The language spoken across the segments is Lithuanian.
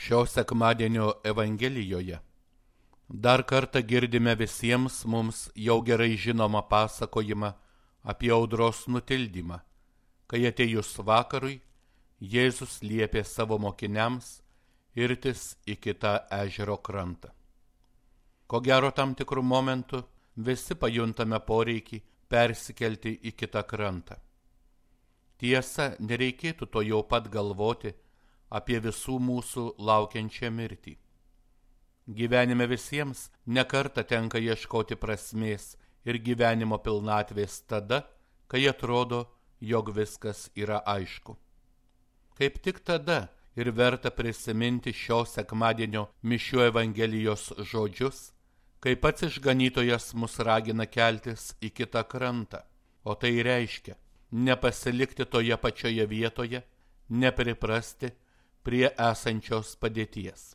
Šio sekmadienio Evangelijoje dar kartą girdime visiems mums jau gerai žinomą pasakojimą apie audros nutildymą, kai atėjus vakarui Jėzus liepė savo mokiniams irtis į kitą ežero krantą. Ko gero tam tikrų momentų visi pajuntame poreikį persikelti į kitą krantą. Tiesa, nereikėtų to jau pat galvoti apie visų mūsų laukiančią mirtį. Gyvenime visiems nekartą tenka ieškoti prasmės ir gyvenimo pilnatvės tada, kai atrodo, jog viskas yra aišku. Kaip tik tada ir verta prisiminti šio sekmadienio mišių Evangelijos žodžius, kai pats išganytojas mus ragina keltis į kitą krantą, o tai reiškia nepasilikti toje pačioje vietoje, nepriprasti prie esančios padėties.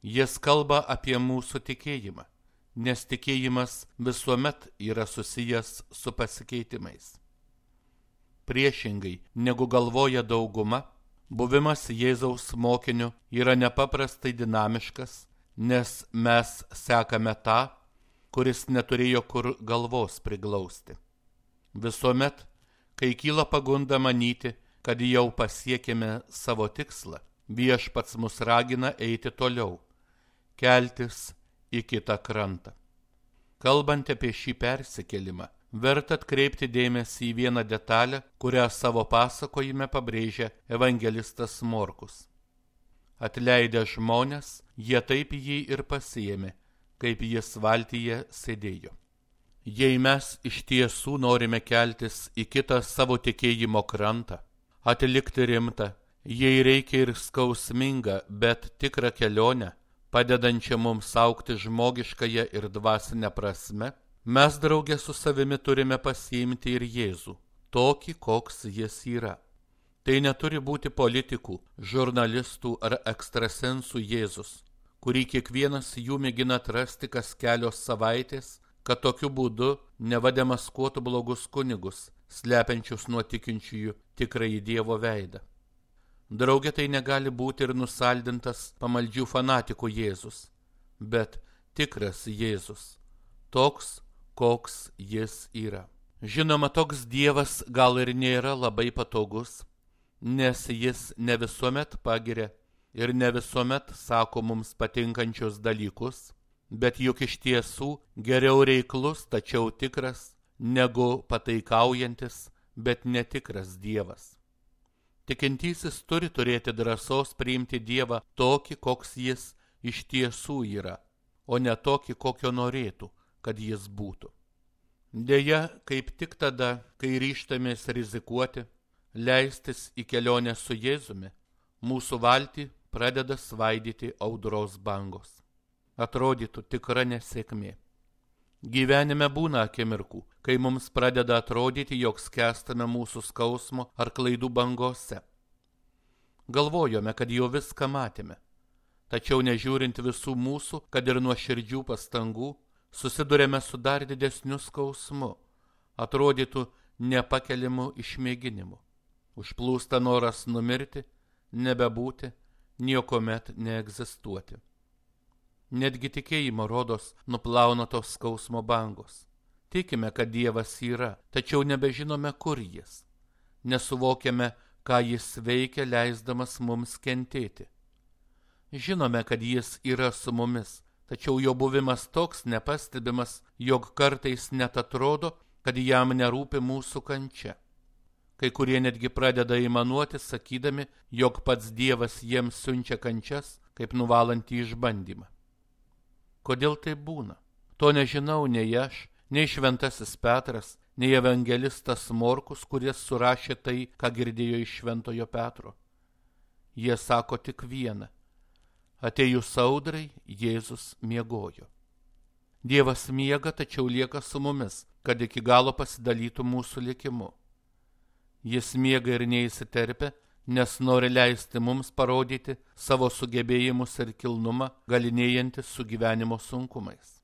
Jis kalba apie mūsų tikėjimą, nes tikėjimas visuomet yra susijęs su pasikeitimais. Priešingai, negu galvoja dauguma, buvimas Jėzaus mokiniu yra nepaprastai dinamiškas, nes mes sekame tą, kuris neturėjo kur galvos priglausti. Visuomet, kai kyla pagunda manyti, kad jau pasiekėme savo tikslą, Viešpats mus ragina eiti toliau, keltis į kitą krantą. Kalbant apie šį persikėlimą, verta atkreipti dėmesį į vieną detalę, kurią savo pasakojime pabrėžia evangelistas Morkus. Atleidę žmonės, jie taip jį ir pasiėmė, kaip jis valtyje sėdėjo. Jei mes iš tiesų norime keltis į kitą savo tikėjimo krantą, atlikti rimtą, jei reikia ir skausmingą, bet tikrą kelionę, padedančią mums augti žmogiškąją ir dvasinę prasme, mes draugė su savimi turime pasiimti ir Jėzų, tokį, koks jis yra. Tai neturi būti politikų, žurnalistų ar ekstrasensų Jėzus, kurį kiekvienas jų mėgina atrasti kas kelios savaitės, kad tokiu būdu neva demaskuotų blogus kunigus, slepiančius nuo tikinčiųjų tikrąjį Dievo veidą. Draugė, tai negali būti ir nusaldintas pamaldžių fanatikų Jėzus, bet tikras Jėzus, toks, koks jis yra. Žinoma, toks Dievas gal ir nėra labai patogus, nes jis ne visuomet pagiria ir ne visuomet sako mums patinkančius dalykus, bet juk iš tiesų geriau reiklus, tačiau tikras, negu pataikaujantis, bet netikras Dievas. Tikintysis turi turėti drąsos priimti Dievą tokį, koks jis iš tiesų yra, o ne tokį, kokio norėtų, kad jis būtų. Deja, kaip tik tada, kai ryžtamės rizikuoti, leistis į kelionę su Jėzumi, mūsų valtį pradeda svaidyti audros bangos. Atrodytų tikra nesėkmė. Gyvenime būna akimirkų, kai mums pradeda atrodyti, jog skęstame mūsų skausmo ar klaidų bangose. Galvojome, kad jau viską matėme, tačiau nežiūrint visų mūsų, kad ir nuoširdžių pastangų, susidurėme su dar didesniu skausmu, atrodytų nepakeliamu išmėginimu. Užplūsta noras numirti, nebebūti, niekomet neegzistuoti. Netgi tikėjimo rodos nuplauna tos skausmo bangos. Tikime, kad Dievas yra, tačiau nebežinome, kur jis. Nesuvokiame, ką jis veikia, leisdamas mums kentėti. Žinome, kad jis yra su mumis, tačiau jo buvimas toks nepastebimas, jog kartais net atrodo, kad jam nerūpi mūsų kančia. Kai kurie netgi pradeda aimanuoti, sakydami, jog pats Dievas jiems siunčia kančias, kaip nuvalantį išbandymą. Kodėl tai būna? To nežinau nei aš, nei šventasis Petras, nei evangelistas Morkus, kuris surašė tai, ką girdėjo iš šventojo Petro. Jie sako tik vieną. Atėjus audrai, Jėzus miegojo. Dievas miega, tačiau lieka su mumis, kad iki galo pasidalytų mūsų likimu. Jis miega ir neįsiterpia, nes nori leisti mums parodyti savo sugebėjimus ir kilnumą, galinėjantis su gyvenimo sunkumais.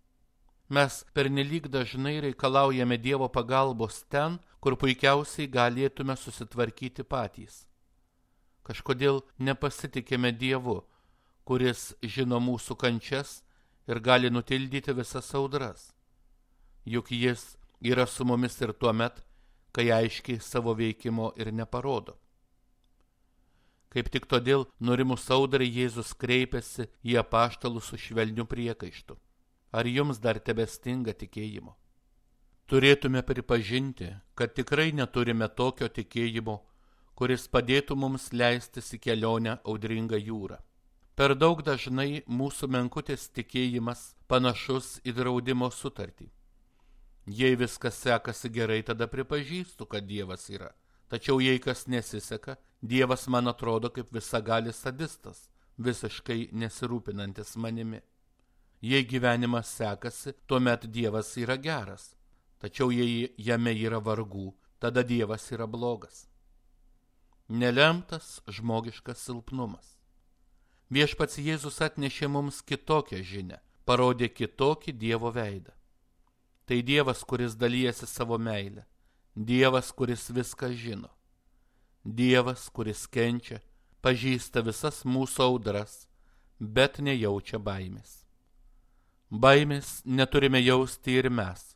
Mes pernelyg dažnai reikalaujame Dievo pagalbos ten, kur puikiausiai galėtume susitvarkyti patys. Kažkodėl nepasitikime Dievu, kuris žino mūsų kančias ir gali nutildyti visas audras. Juk jis yra su mumis ir tuomet, kai aiškiai savo veikimo ir neparodo. Kaip tik todėl nurimus audrai Jėzus kreipiasi į apaštalus su švelniu priekaištu. Ar jums dar tebestinga tikėjimo? Turėtume pripažinti, kad tikrai neturime tokio tikėjimo, kuris padėtų mums leistis į kelionę audringą jūrą. Per daug dažnai mūsų menkutis tikėjimas panašus į draudimo sutartį. Jei viskas sekasi gerai, tada pripažįstu, kad Dievas yra. Tačiau jei kas nesiseka, Dievas man atrodo kaip visagalis sadistas, visiškai nesirūpinantis manimi. Jei gyvenimas sekasi, tuomet Dievas yra geras. Tačiau jei jame yra vargų, tada Dievas yra blogas. Nelemtas žmogiškas silpnumas. Viešpats Jėzus atnešė mums kitokią žinią, parodė kitokį Dievo veidą. Tai Dievas, kuris dalijasi savo meilę, Dievas, kuris viską žino, Dievas, kuris kenčia, pažįsta visas mūsų audras, bet nejaučia baimės. Baimės neturime jausti ir mes,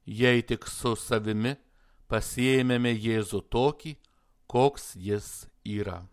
jei tik su savimi pasiėmėme Jėzų tokį, koks jis yra.